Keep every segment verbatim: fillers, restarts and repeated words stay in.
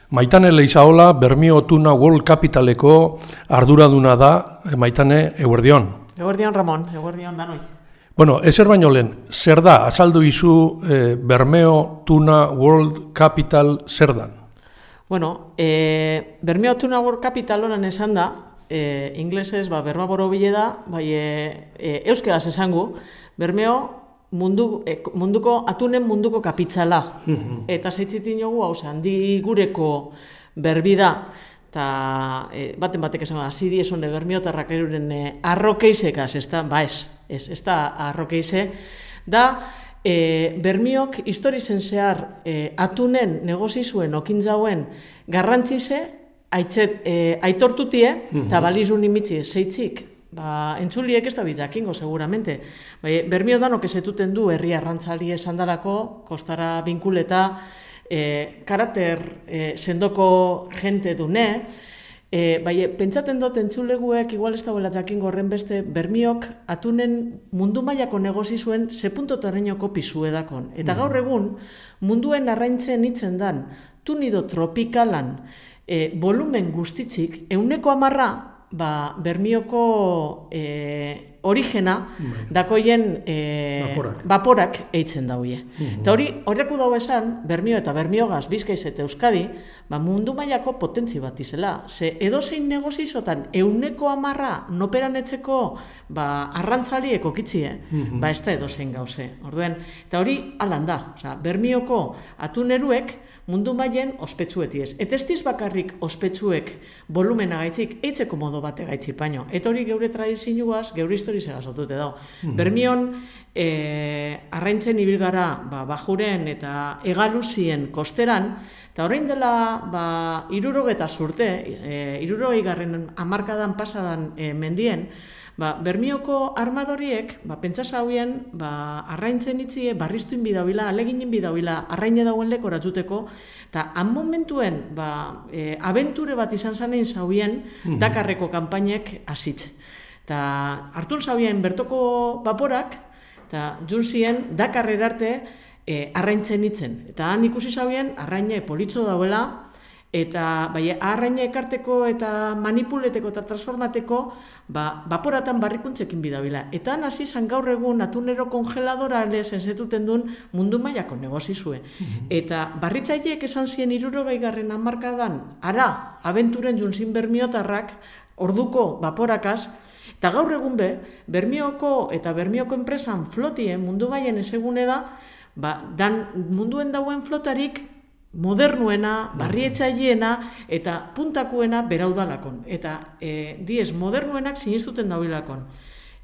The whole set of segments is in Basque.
Maitane Leizaola, Bermio Tuna World Capitaleko arduraduna da, Maitane, eguerdion. Eguerdion, Ramon, eguerdion danoi. Bueno, ezer baino lehen, zer da, azaldu izu eh, Bermeo Tuna World Capital zer dan? Bueno, eh, Bermeo Tuna World Capital honen esan da, eh, inglesez, ba, berba borobile da, bai, eh, eh, euskeraz esangu, Bermeo Mundu, eh, munduko, atunen munduko kapitala. Eta zeitzitin jogu, hau handi gureko berbi da, eta eh, baten batek esan, aziri esone bermiotarrak eruren eh, arrokeisekaz, ez da, ba ez, ez, ez da arrokeise, da, eh, bermiok historizen zehar eh, atunen negozizuen okintzauen garrantzize, aitzet, eh, aitortutie, eta balizun imitzi zeitzik, ba, entzuliek ez da bitzakingo, seguramente. Bai, Bermio danok ezetuten du herri arrantzali esan dalako, kostara binkuleta, eh, karakter eh, sendoko jente dune, eh, bai, pentsaten dut entzuleguek, igual ez da huela jakingo horren beste, Bermiok atunen mundu mailako negozi zuen ze puntotarainoko pisu edakon. Eta gaur egun, munduen arraintzen hitzen dan, tunido tropikalan, eh, volumen guztitzik, euneko amarra, ba, Bermioko e, origena dakoien e, Baporak. baporak eitzen dauie. Eta hori, horreku dago esan, Bermio eta Bermiogaz, Bizkaiz eta Euskadi, ba, mundu mailako potentzi bat izela. Ze edozein negozizotan euneko amarra noperan etxeko ba, arrantzaliek okitzie, ba, ez da edozein gauze. Orduen, eta hori alan da. Osa, Bermioko atuneruek mundu mailen ospetsuetiez. Eta ez diz bakarrik ospetsuek volumena gaitzik, eitzeko modo bate gaitzik baino. Eta hori geure tradizioaz, geure historize gazotute dago. Mm-hmm. Bermion, eh, arraintzen ibil gara ba, bajuren eta egaluzien kosteran, eta orain dela ba, irurogeta zurte, eh, irurogei garren hamarkadan pasadan eh, mendien, ba, Bermioko armadoriek, ba, pentsas hauien, ba, arraintzen itzie, barriztuin bidauila, aleginin bidauila, arraine dauen leko eratuteko, eta han momentuen, ba, e, abenture bat izan zanein zauen, mm-hmm. Dakarreko kanpainek hasitze. Eta hartun zauen bertoko baporak, eta junzien Dakarrer arte e, arraintzen itzen. Eta han ikusi zauen, arraine politxo dauela, eta bai, arraina ekarteko eta manipuleteko eta transformateko ba, baporatan barrikuntzekin bidabila. Eta hasi zan gaur egun atunero kongeladora zenzetuten duen mundu mailako negozizue. Mm-hmm. Eta barritzaileek esan zien hirurogei garren hamarkadan, ara, abenturen junzin bermiotarrak, orduko baporakaz, eta gaur egun be, Bermioko eta Bermioko enpresan flotie mundu mailen ezegune da, ba, dan munduen dauen flotarik modernuena, barrietxaileena eta puntakuena beraudalakon. Eta e, diez, modernuenak sinistuten dauilakon.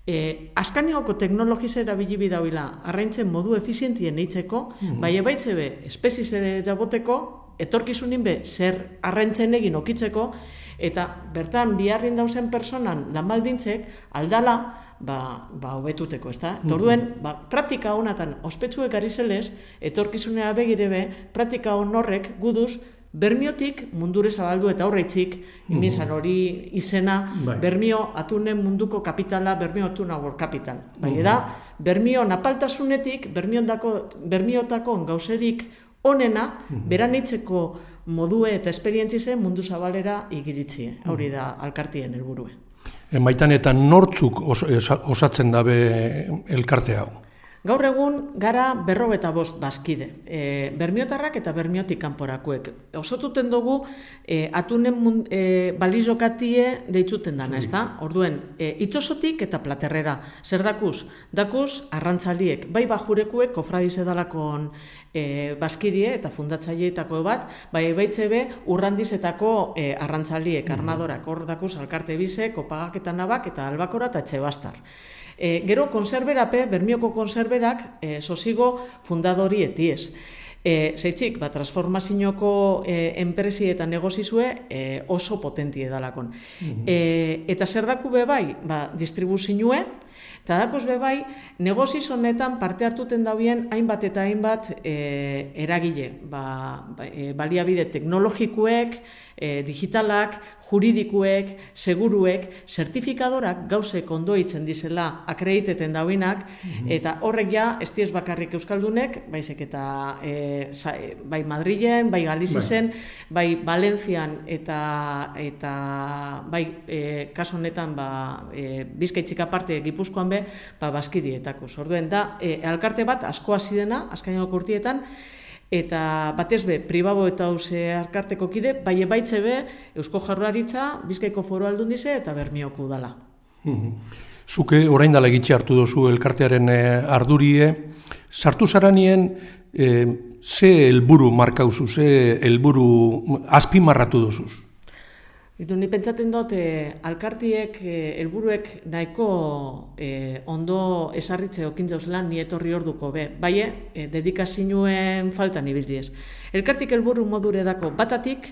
E, Askanioko teknologize erabili bidauila arraintzen modu efizientien eitzeko, mm-hmm. bai ebaitze be, espeziz ere jaboteko, etorkizunin be, zer arraintzen egin okitzeko, eta bertan biharrin dauzen personan lanbaldintzek aldala, ba, ba hobetuteko, ezta? Mm-hmm. Torduen, ba, praktika honatan ospetsuek ari zelez, etorkizunea begirebe, praktika hon horrek guduz, Bermiotik mundure zabaldu eta horreitzik, mm-hmm. inizan hori izena, bai. Bermio atunen munduko kapitala, Bermio Tuna World Capital. Bai, mm-hmm. eda, Bermio napaltasunetik, Bermiotako gauzerik onena, mm-hmm. beranitzeko modue eta esperientzize mundu zabalera igiritzie. Mm-hmm. Hori da alkartien helburue. Maitan eta nortzuk os, osatzen dabe elkarte hau? Gaur egun gara berrogeta bost bazkide. E, Bermiotarrak eta Bermiotik kanporakuek. Osotuten dugu e, atunen mund, e, balizokatie deitzuten dana, ez da? Orduen, e, itxosotik eta platerrera. Zer dakuz? Dakuz arrantzaliek, bai bajurekuek kofradize dalakon e, bazkidie eta fundatzaileetako bat, bai baitzebe urrandizetako e, arrantzaliek, armadorak. Hor dakuz alkarte bize, kopagak eta nabak eta albakora eta etxebastar. E, gero konserberape, Bermioko konserberak e, sosigo fundadori etiez. E, Zeitzik, ba, transformazioko e, enpresi eta negozizue e, oso potentie dalakon. Mm-hmm. E, eta zer daku be bai, ba, distribuzinue, eta dakoz be bai, negoziz honetan parte hartuten dauen hainbat eta hainbat e, eragile. Ba, ba, e, baliabide teknologikuek, e, digitalak, juridikuek, seguruek, zertifikadorak gauzek ondo itzen dizela akrediteten dauinak, mm-hmm. eta horrek ja, ez diez bakarrik euskaldunek, baizik eta e, za, bai Madrilen, bai Galizizen, bai, bai Valentzian, eta, eta bai e, kaso honetan ba, e, Bizkaitzik aparte Gipuzkoan be, ba, Baskirietako. Orduen da, e, elkarte bat asko hasi dena, azkeneko urtietan, eta batez be, pribabo eta hauze elkarteko kide, bai ebaitze be, Eusko Jaurlaritza, Bizkaiko Foru Aldundize eta Bermioko udala. Zuke orain dela egitxe hartu dozu elkartearen ardurie, sartu zaranien e, ze helburu markauzu, ze helburu azpimarratu dozuz? Itu, ni pentsaten dut, eh, alkartiek, eh, helburuek nahiko eh, ondo esarritze okin zauzela ni etorri orduko be. Baie, eh, dedikazioen faltan ibildiez. Elkartik helburu modure dako batatik,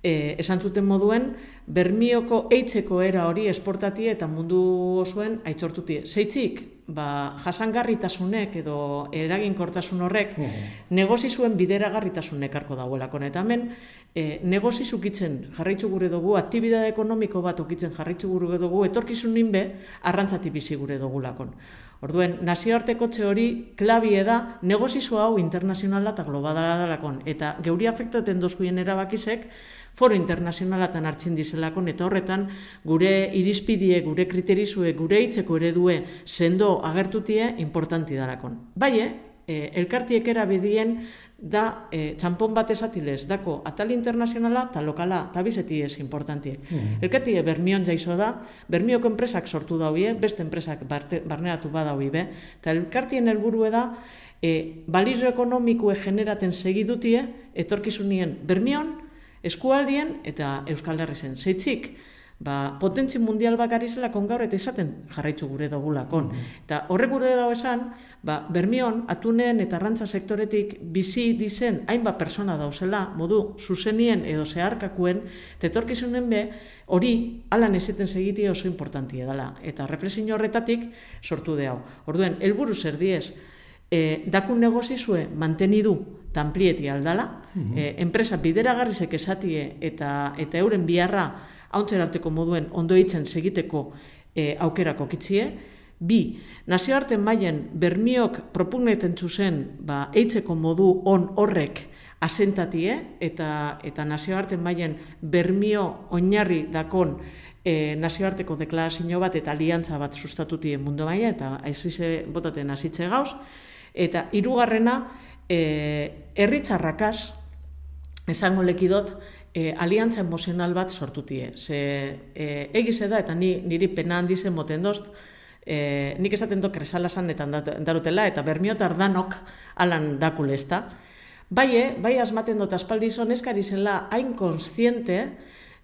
eh, esan zuten moduen, Bermioko eitzeko era hori esportatie eta mundu osoen aitzortutie. Zeitzik, ba, jasangarritasunek edo eraginkortasun horrek mm. negozizuen bideragarritasunek arko dagoelako. Eta hemen, e, negozizuk itzen jarraitzu gure dugu, aktibidade ekonomiko bat okitzen jarraitzu gure dugu, etorkizun ninbe, arrantzati bizi gure dugulakon. Orduen, nazioarteko txe hori klabie da, negozizo hau internazionala eta globala dalakon. Eta geuri afektaten dozkuien erabakizek, foro internazionalatan hartzen dizelakon, eta horretan gure irizpidie, gure kriterizue, gure hitzeko eredue sendo agertutie importanti dalakon. Baie, e, elkartiek erabidien da e, txampon bat esatilez, dako atal internazionala eta lokala, eta bizetiez importantiek. Mm. Elkartie Bermion jaizo da, Bermioko enpresak sortu daue, beste enpresak barte, barneratu badaui be, eta elkartien helburue da, e, balizo ekonomikue generaten segidutie, etorkizunien Bermion, eskualdien eta Euskal Herrizen. Zeitzik, ba, potentzi mundial bakari zelakon gaur eta izaten jarraitzu gure dugulakon. Mm-hmm. Eta horrek gure dago esan, ba, Bermion, atunen eta arrantza sektoretik bizi dizen hainbat persona dauzela, modu zuzenien edo zeharkakuen, tetorkizunen be, hori alan ezeten segiti oso importantia dela. Eta reflexio horretatik sortu de hau. Orduen, helburu zer diez, e, dakun negozizue mantenidu tanplieti aldala, mm-hmm. e, enpresa bideragarrizek esatie eta, eta euren biharra hauntzer moduen ondo hitzen segiteko e, aukerako kitzie. Bi, nazioarten mailen Bermiok propugneten zuzen ba, eitzeko modu on horrek asentatie eta, eta nazioarten mailen Bermio oinarri dakon e, nazioarteko deklarazio bat eta aliantza bat sustatutien mundu maila eta aizize botaten hasitze gauz. Eta hirugarrena, e, herritzarrakaz, esango lekidot, e, aliantza emozional bat sortutie. Ze e, egize da, eta ni, niri pena handizen moten dozt, e, nik esaten do kresalasanetan darutela, eta Bermiotar danok alan dakule ezta. Baie, bai asmaten dut aspaldizon eskari zela hain konstiente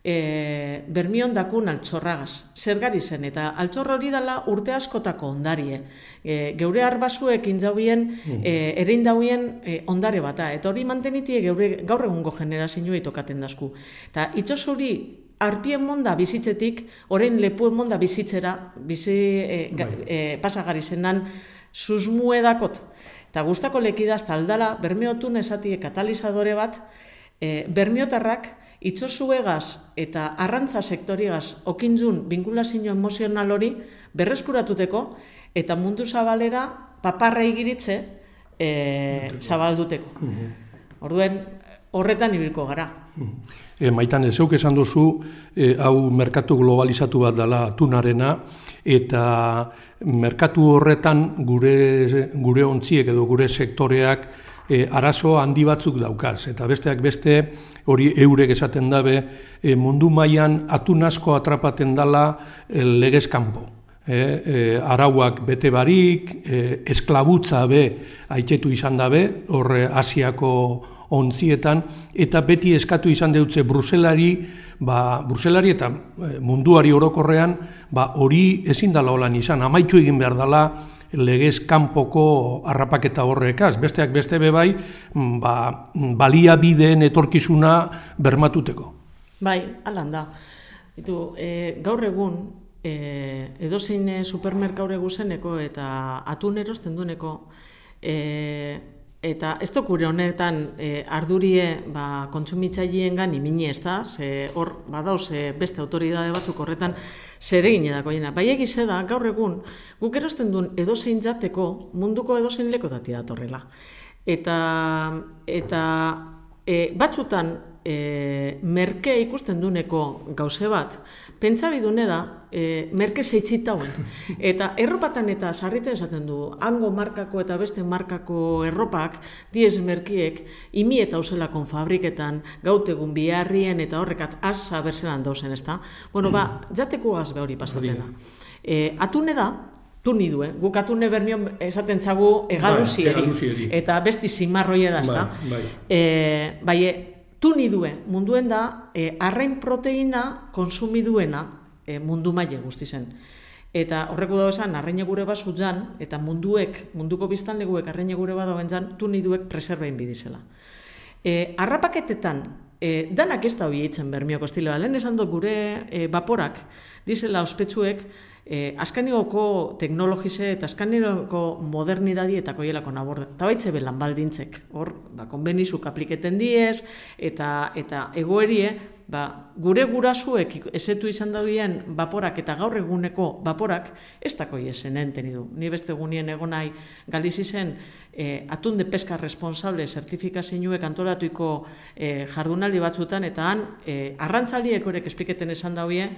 e, Bermion dakun altxorragaz. Zergari zen, eta altxorra hori dela urte askotako ondarie. E, geure arbasuek intzauien, e, erein dauien e, ondare bata. Eta hori mantenitie geure gaur egungo generazioa itokaten dazku. Eta itxos hori arpien monda bizitzetik, orain lepuen monda bizitzera, bizi e, ga, e, pasagari zenan, susmue dakot. Eta guztako lekidaz aldala, Bermiotun esatie katalizadore bat, e, Bermiotarrak itxosuegaz eta arrantza sektoriegaz okintzun binkulazio emozional hori berreskuratuteko eta mundu zabalera paparra igiritze e, zabalduteko. Orduen, horretan ibilko gara. E, maitan, zeuk esan duzu, e, hau merkatu globalizatu bat dela tunarena, eta merkatu horretan gure, gure ontziek edo gure sektoreak e, arazo handi batzuk daukaz. Eta besteak beste, hori eurek esaten dabe, e, mundu mailan atun asko atrapaten dela e, legez kanpo. E, e, arauak bete barik, e, esklabutza be aitzetu izan dabe, horre Asiako ontzietan, eta beti eskatu izan deutze Bruselari, ba, Bruselari eta munduari orokorrean, ba, hori ezin dela holan izan, amaitu egin behar dela legez kanpoko harrapaketa horrekaz, besteak beste bebai, ba, baliabideen etorkizuna bermatuteko. Bai, alan da. Itu, e, gaur egun, e, edozein supermerkaure guzeneko eta atun erosten dueneko, e, eta ez dokure honetan e, ardurie ba, kontsumitzaileengan imini ez da, ze hor badauz e, beste autoridade batzuk horretan zeregin edako jena. Bai egize da, gaur egun, guk erosten duen edozein jateko munduko edozein lekotati datorrela. Eta, eta e, batzutan e, merke ikusten duneko gauze bat, pentsabidune da, e, merke zeitzitauen. Eta erropatan eta sarritzen esaten du, hango markako eta beste markako erropak, diez merkiek, imi eta uselakon fabriketan, gautegun biharrien eta horrekat asa berzelan dauzen, ez da? Bueno, ba, jateko gazbe hori pasatena. E, atune da, tuni du, eh? Guk atune bermion esaten txagu egaluzieri, eta besti zimarroia da, ez da? Bai, e, bai, tuni due, munduen da, e, arrain proteina konsumiduena e, mundu maile guzti zen. Eta horreko dago esan, arraine gure bat zutzan, eta munduek, munduko biztanleguek arraine gure bat dagoen zan, tuni duek preserbein bidizela. E, arrapaketetan, e, danak ez da hori eitzen bermioko estiloa, lehen esan dut gure e, vaporak, dizela ospetsuek, E, askanigoko teknologize eta askanigoko modernidadi eta koielako naborda. Eta baitze belan baldintzek. Hor, ba, konbenizuk apliketen diez, eta, eta egoerie, ba, gure gurasuek esetu izan daudien vaporak eta gaur eguneko vaporak, ez dako iesen enten idu. Ni beste egunien egonai galizi zen e, atunde peska responsable zertifikazioek antolatuiko e, jardunaldi batzutan, eta han e, arrantzaliek horrek espliketen esan daudien,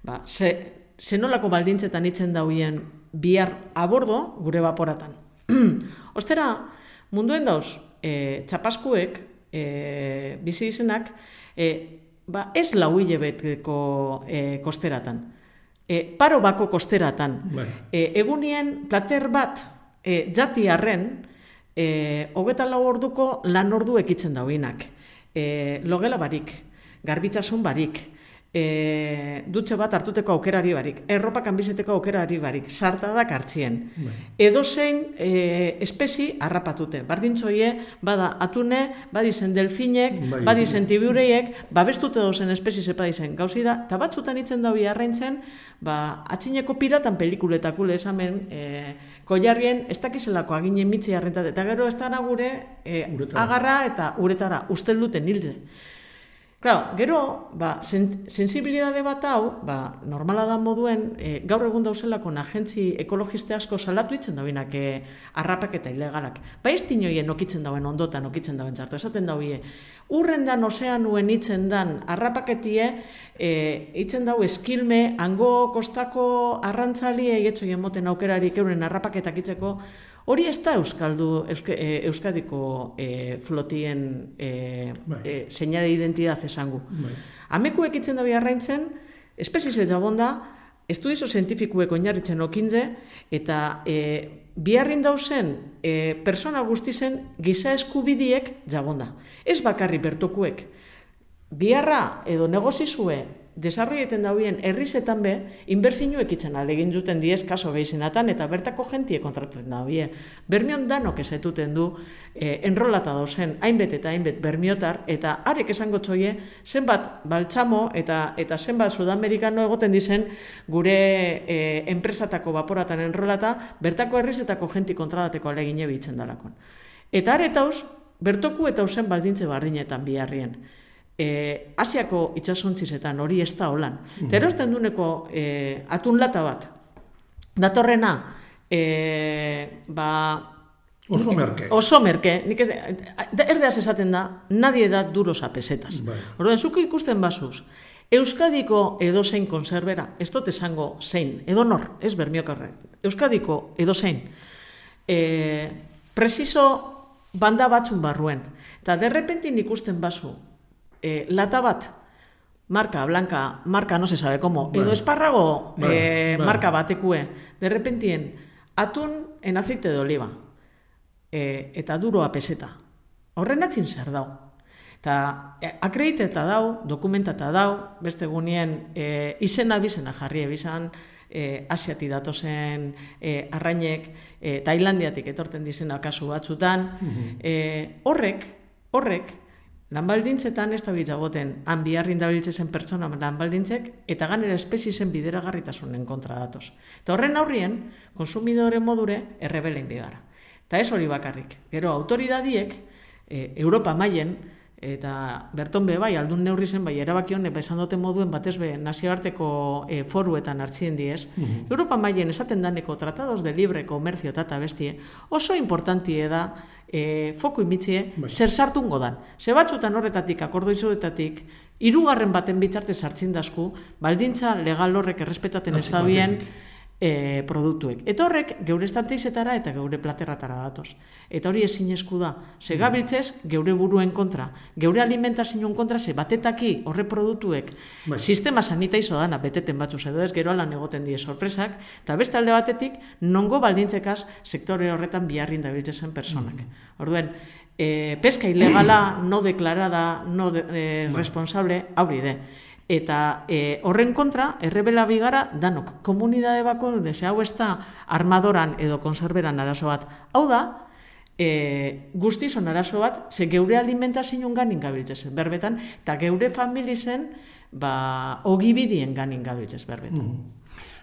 ba, ze, zenolako baldintzetan itzen dauien bihar abordo gure vaporatan. Ostera, munduen dauz, e, txapaskuek, e, bizi izenak, e, ba, ez lau hilebeteko e, kosteratan. E, paro bako kosteratan. E, egunien plater bat e, jati arren, e, hogeta lau orduko lan ordu ekitzen dauinak. E, logela barik, garbitzasun barik, E, dutxe bat hartuteko aukerari barik, erropa kanbizeteko aukerari barik, sartadak hartzien. Bai. Edozein e, espezi harrapatute. Bardintzoie, bada atune, badizen delfinek, bai, badizen tibureiek, babestute dozen espezi zepadizen gauzi da, eta batzutan itzen daui arraintzen, ba, atxineko piratan pelikuletakule esamen, e, koiarrien ez dakizelako aginen mitzi harrentat, eta gero ez dara gure e, agarra eta uretara, ustel duten hilze. Claro, gero, ba, sen, sensibilidade bat hau, ba, normala da moduen, e, gaur egun dauzelako agentzi ekologiste asko salatu itzen dauinak e, arrapak eta ilegalak. Ba, ez dinoien okitzen dauen ondotan, okitzen dauen zartu, esaten dauie. Urrendan ozeanuen itzen dan arrapaketie, e, itzen dau eskilme, hango kostako arrantzalie egetxoien moten aukerarik euren arrapaketak itzeko, hori ez da Euskaldu, Euske, e, Euskadiko e, flotien e, e, seinale identidad esangu. Amekuek itzen dabi arraintzen, espezize jabonda, estudizo zientifikuek oinarritzen okintze, eta e, biharrin dauzen e, persona guztizen giza eskubidiek jabonda. Ez bakarri bertokuek. Biharra edo negozizue desarroieten dauen herrizetan be, inbertsinuek itzen alegin duten diez kaso gehizenatan, eta bertako jentie kontratatzen daue. Bermion danok ezetuten du, eh, enrolata dauzen, hainbet eta hainbet bermiotar, eta arek esango txoie, zenbat baltzamo eta eta zenbat sudamerikano egoten dizen gure eh, enpresatako vaporatan enrolata, bertako herrizetako jenti kontratateko alegine bitzen dalakon. Eta aretauz, bertoku eta usen baldintze barrinetan biharrien. E, Asiako itxasontzizetan hori ez da holan. Mm-hmm. Terosten duneko e, atun lata bat. Datorrena, e, ba... Oso merke. Oso merke. Nik ez, erdeaz esaten da, nadie da duros a pesetas. Bai. Orduan, zuko ikusten basuz, Euskadiko edozein konserbera, ez dut esango zein, edo nor, ez bermiokarre, Euskadiko edozein, e, preciso banda batzun barruen. Eta derrepentin ikusten bazu, E, lata bat, marka, blanca, marka, no se sabe como, bueno, edo esparrago bueno, e, bueno. marka batekue, de repentien, atun en aceite de oliva, e, eta duro a peseta. Horren atzin zer dau. Eta e, akrediteta dau, dokumentata dau, beste gunien e, izena bizena jarri ebizan, e, Asiati datozen e, arrainek, e, Tailandiatik etorten dizena kasu batzutan, mm-hmm. e, horrek, horrek, lanbaldintzetan ez da bitzagoten, han biharrin dabiltzezen pertsona lanbaldintzek, eta ganera espezizen bideragarritasunen kontra datoz. Eta horren aurrien, konsumidore modure errebelein bigara. Eta ez hori bakarrik. Gero, autoridadiek, e, Europa mailen, eta berton be bai, aldun neurri zen, bai, erabaki honek, ba, esan duten moduen, batez be, nazioarteko e, foruetan hartzien diez, mm-hmm. Europa mailen esaten daneko tratados de libre comercio eta bestie, oso importantie da, e, foku imitzie, bai. Zer sartungo dan. Ze batzutan horretatik, akordoizuetatik, hirugarren baten bitzarte sartzen dasku, baldintza legal horrek errespetaten ez dabien, E, produktuek. Eta horrek geure estanteizetara eta geure platerratara datoz. Eta hori ezinezku da. Ze gabiltzez, geure buruen kontra, geure alimentazioen kontra, ze batetaki horre produktuek bai. Sistema sanitaizo dana beteten batzuz edo ez, gero alan egoten die sorpresak, eta beste alde batetik, nongo baldintzekaz sektore horretan biharrin dabiltzezen personak. Mm. Orduen, e, peska ilegala, no deklarada, no de, e, responsable, hauri de. Eta e, horren kontra, errebela bigara danok. Komunidade bako, ze hau ez da armadoran edo konserberan arazo bat. Hau da, e, guztizon arazo bat, ze geure alimentazioen ganin gabiltzezen berbetan, eta geure familizen, ba, ogibidien ganin gabiltzez berbetan. Mm.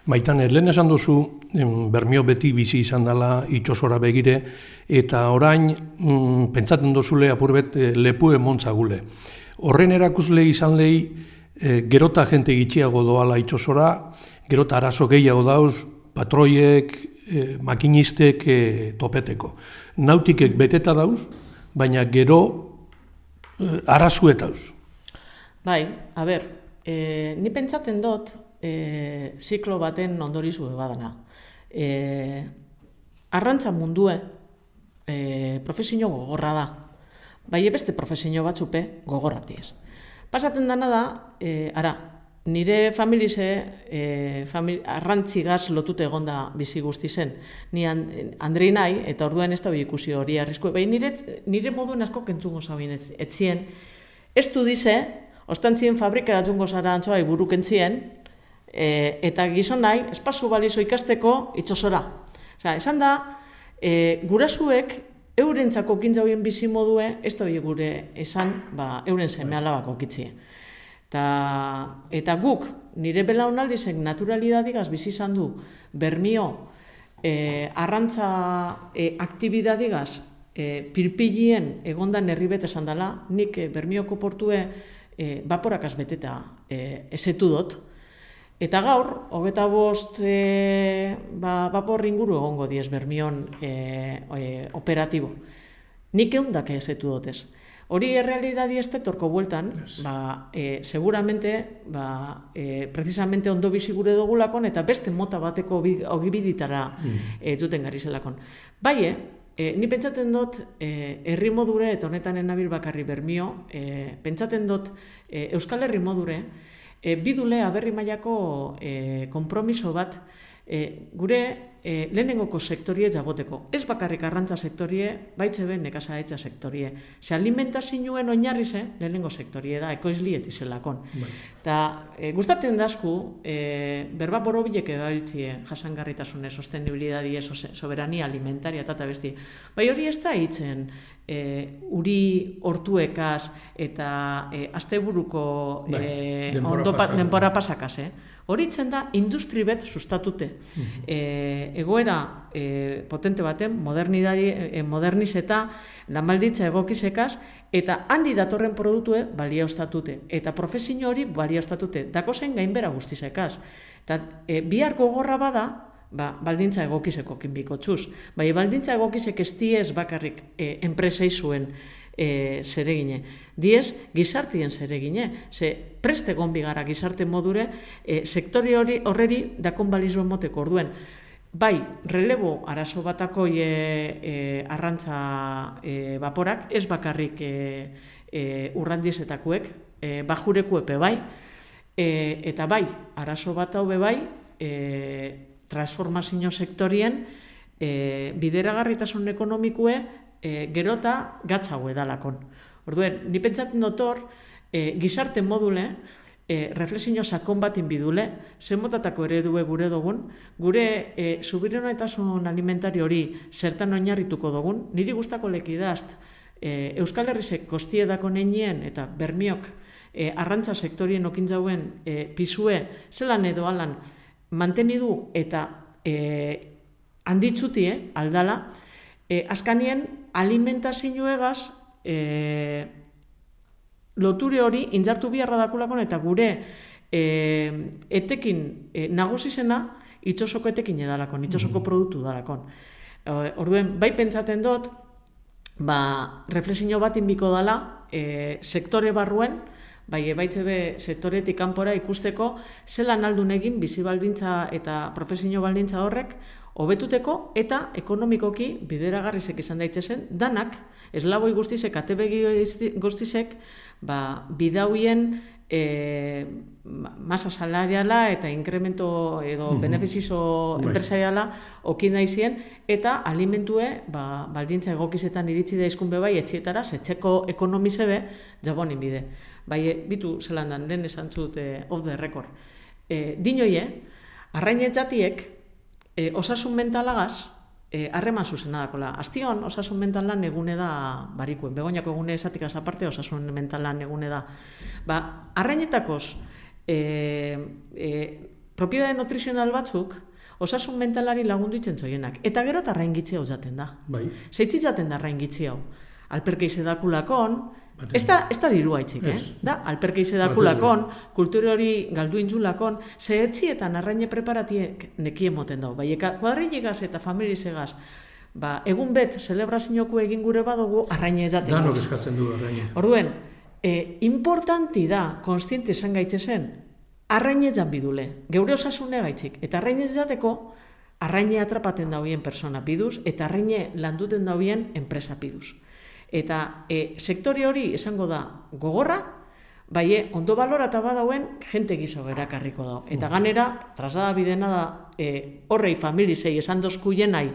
Maitan, lehen esan duzu, Bermio beti bizi izan dela itxosora begire, eta orain, mm, pentsaten duzule apurbet lepu emontza gule. Horren erakusle izan lehi, E, gerota jente gitxiago doala itxosora, gerota arazo gehiago dauz, patroiek, e, makinistek e, topeteko. Nautikek beteta dauz, baina gero e, arazuetauz. Bai, a ber, e, ni pentsaten dut e, ziklo baten ondorizu badana. E, arrantza mundue e, profesio gogorra da, bai beste profesio batzupe gogorratiez. Pasaten dana da, e, ara, nire familize e, famili, arrantzigaz lotute egonda bizi guzti zen. Ni Andrei nahi, eta orduan ez da ikusi hori arrisku. Bai, nire, nire moduen asko kentzungo zabin etzien. Ez du dize, ostantzien fabrikera jungo zara antzoa iburu kentzien, e, eta gizon nahi, espazu balizo ikasteko itxosora. Osa, esan da, e, gurasuek, eurentzako kintza horien bizi modue, ez da gure esan, ba, euren seme alabako kitzie. Ta, eta guk, nire belaunaldizek naturalidadigaz bizi izan du, Bermio, e, arrantza e, aktibidadigaz, e, pilpilien egondan herribet esan dela, nik e, Bermioko portue e, baporakaz beteta e, esetu dut, eta gaur, hogeta bost e, ba, bapor inguru egongo diez Bermion e, e, operatibo. Nik eundak ezetu dotez. Hori errealidadi ez torko bueltan, yes. ba, e, seguramente, ba, e, precisamente ondo bizi gure dugulakon, eta beste mota bateko ogibiditara mm. e, duten gari zelakon. Bai, e, ni pentsaten dut, e, herri modure, eta honetan enabil bakarri Bermio, e, pentsaten dut, e, Euskal Herri modure, E, bidule aberri mailako e, konpromiso bat e, gure e, lehenengoko sektorie jaboteko. Ez bakarrik arrantza sektorie, baitze ben nekazaetza sektorie. Ze alimentazioen oinarri ze, lehenengo sektorie da, ekoizliet izelakon. Eta e, gustatzen dazku, e, berba borobilek edabiltzie jasangarritasune, sostenibilidadie, soberania alimentaria eta besti. Bai hori ez da hitzen, E, uri hortuekaz eta e, asteburuko e, denbora pasakaz. Eh? Hori itzen da industri bet sustatute. Mm-hmm. e, egoera e, potente baten, e, moderniz eta lanbalditza egokizekaz, eta handi datorren produktue balia ostatute. Eta profesio hori balia ostatute. Dako zen gainbera guztizekaz. Eta e, bihar gogorra bada, ba, baldintza egokizeko kinbiko txuz. Bai, baldintza egokizek ez diez bakarrik e, enpresei zuen e, zeregine. Diez, gizartien zeregine. Ze preste gonbi gara gizarte modure, e, sektori hori horreri dakon balizuen moteko orduen. Bai, relebo arazo batako e, e, arrantza e, baporak, ez bakarrik e, e, urrandizetakuek, e, bajurekuepe bai, e, eta bai, arazo bat hau be bai, e, transformazio sektorien e, bideragarritasun ekonomikue e, gerota gatzago edalakon. Orduen, ni pentsatzen dotor, e, gizarte module, e, reflexio sakon batin bidule, zen motatako eredue gure dugun, gure e, subiranotasun alimentario hori zertan oinarrituko dugun, niri gustako lekidazt, e, Euskal Herrizek kostiedako nenien eta Bermiok e, arrantza sektorien okintzauen e, pisue, zelan edo alan, mantenidu eta e, handitzutie aldala, E, azkanien, alimentazioegaz e, loture hori indartu biharra dakulakon eta gure e, etekin e, nagusizena itxosoko etekin edalakon, itxosoko produktu dalakon. Orduen, bai pentsaten dut, ba, reflexio bat inbiko dala e, sektore barruen, bai ebaitze be sektoretik kanpora ikusteko zelan aldun egin bizi baldintza eta profesio baldintza horrek hobetuteko eta ekonomikoki bideragarrizek izan daitezen danak, eslaboi guztizek, atebegi guztizek, ba, bidauien e, masa salariala eta inkremento edo mm-hmm. benefizizo enpresariala okin daizien eta alimentue ba, baldintza egokizetan iritsi daizkun bebai etxietara, etxeko ekonomize be jabonin bide. Bai, bitu zelan dan, lehen esan zut eh, off the record. Eh, dinoie, arrainet jatiek eh, osasun mentalagaz harreman eh, zuzena dakola. Aztion, osasun mentalan egune da barikuen. Begoñako egune esatikaz aparte, osasun mentalan egune da. Ba, arrainetakoz, eh, eh, propiedade nutrizional batzuk, osasun mentalari lagundu itzen zoienak. Eta gero eta arraingitzia uzaten da. Bai. Zeitzitzaten da arraingitzia hau. Alperkeize dakulakon, ez da, ez da dirua itxik, eh? Da, alperkeize dakulakon, kultura hori galdu intzulakon, ze etxietan arraine preparatiek nekie moten dago. Bai, kuadrillegaz eta familizegaz, ba, egun bet, celebrazioku egin gure badugu, arraine ezaten goz. Danok eskatzen du arraine. Orduen, eh, importanti da, konstiente izan gaitzezen, arraine ezan bidule, geure osasune gaitzik, eta arraine ezateko, arraine atrapaten dauen persona biduz, eta arraine landuten dauen enpresa biduz. Eta e, sektore hori esango da gogorra, bai ondo balorata badauen jente gizo erakarriko da. Eta ganera, trasada bidena da, e, horrei familizei esan dozkuienai,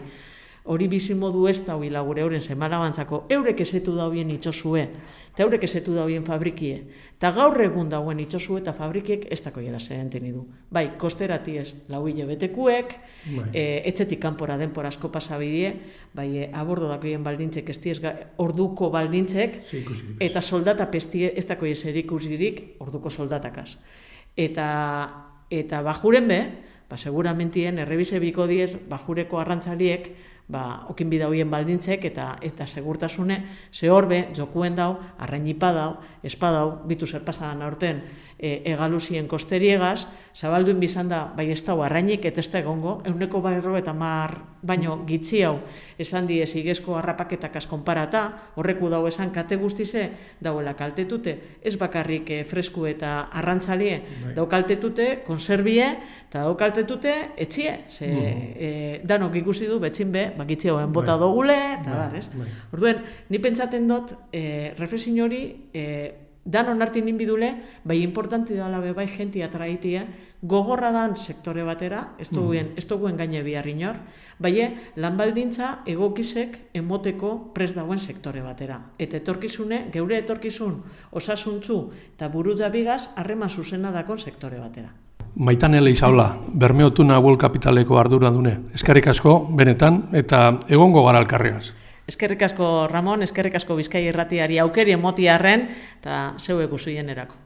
hori bizimodu ez da huila gure euren zemalabantzako, eurek esetu dauen itxosue, eta eurek esetu dauen fabrikie, eta gaur egun dauen itxosue eta fabrikiek ez dako jela zerenten idu. Bai, kosterati ez, lau hile betekuek, e, etxetik kanpora denpora asko pasabidie, bai, e, abordo dakoien baldintzek, ez diez, orduko baldintzek, eta soldata pestie ez dako jeserik usirik, orduko soldatakaz. Eta, eta bajuren be, ba, seguramentien, errebize biko diez, bajureko arrantzaliek, ba, okin bidauien baldintzek eta eta segurtasune, ze horbe, jokuen dau, arrainipa dau, espadau, bitu zer pasadan aurten, e, egaluzien kosteriegaz, zabalduin bizan da, bai ez dau arrainik eta ez da egongo, euneko barro eta mar baino gitzi hau, esan diez igezko harrapaketakaz konparata, horreku dau esan kate guztize, dauela kaltetute, ez bakarrik e, fresku eta arrantzalie, dau kaltetute, konserbie, eta dau kaltetute, etxie, ze e, danok ikusi du, betzin be, bakitxe hoen bota dogule, eta bar, ez? Orduen, ni pentsaten dut, e, reflexio hori, e, danon artin ninbidule, bai importanti dala be bai jenti atraitia, gogorra dan sektore batera, ez duguen, ez duguen gaine bihar inor, bai lan baldintza egokizek emoteko prest dagoen sektore batera. Eta etorkizune, geure etorkizun osasuntzu eta burutza bigaz, harreman zuzena dakon sektore batera. Maitane Leizaola, Bermeotuna World Capitaleko ardura dune. Eskerrik asko, benetan, eta egongo gara alkarregaz. Eskerrik asko, Ramon, eskerrik asko Bizkai Irratiari aukeri emotiarren, eta zeuek usuien erako.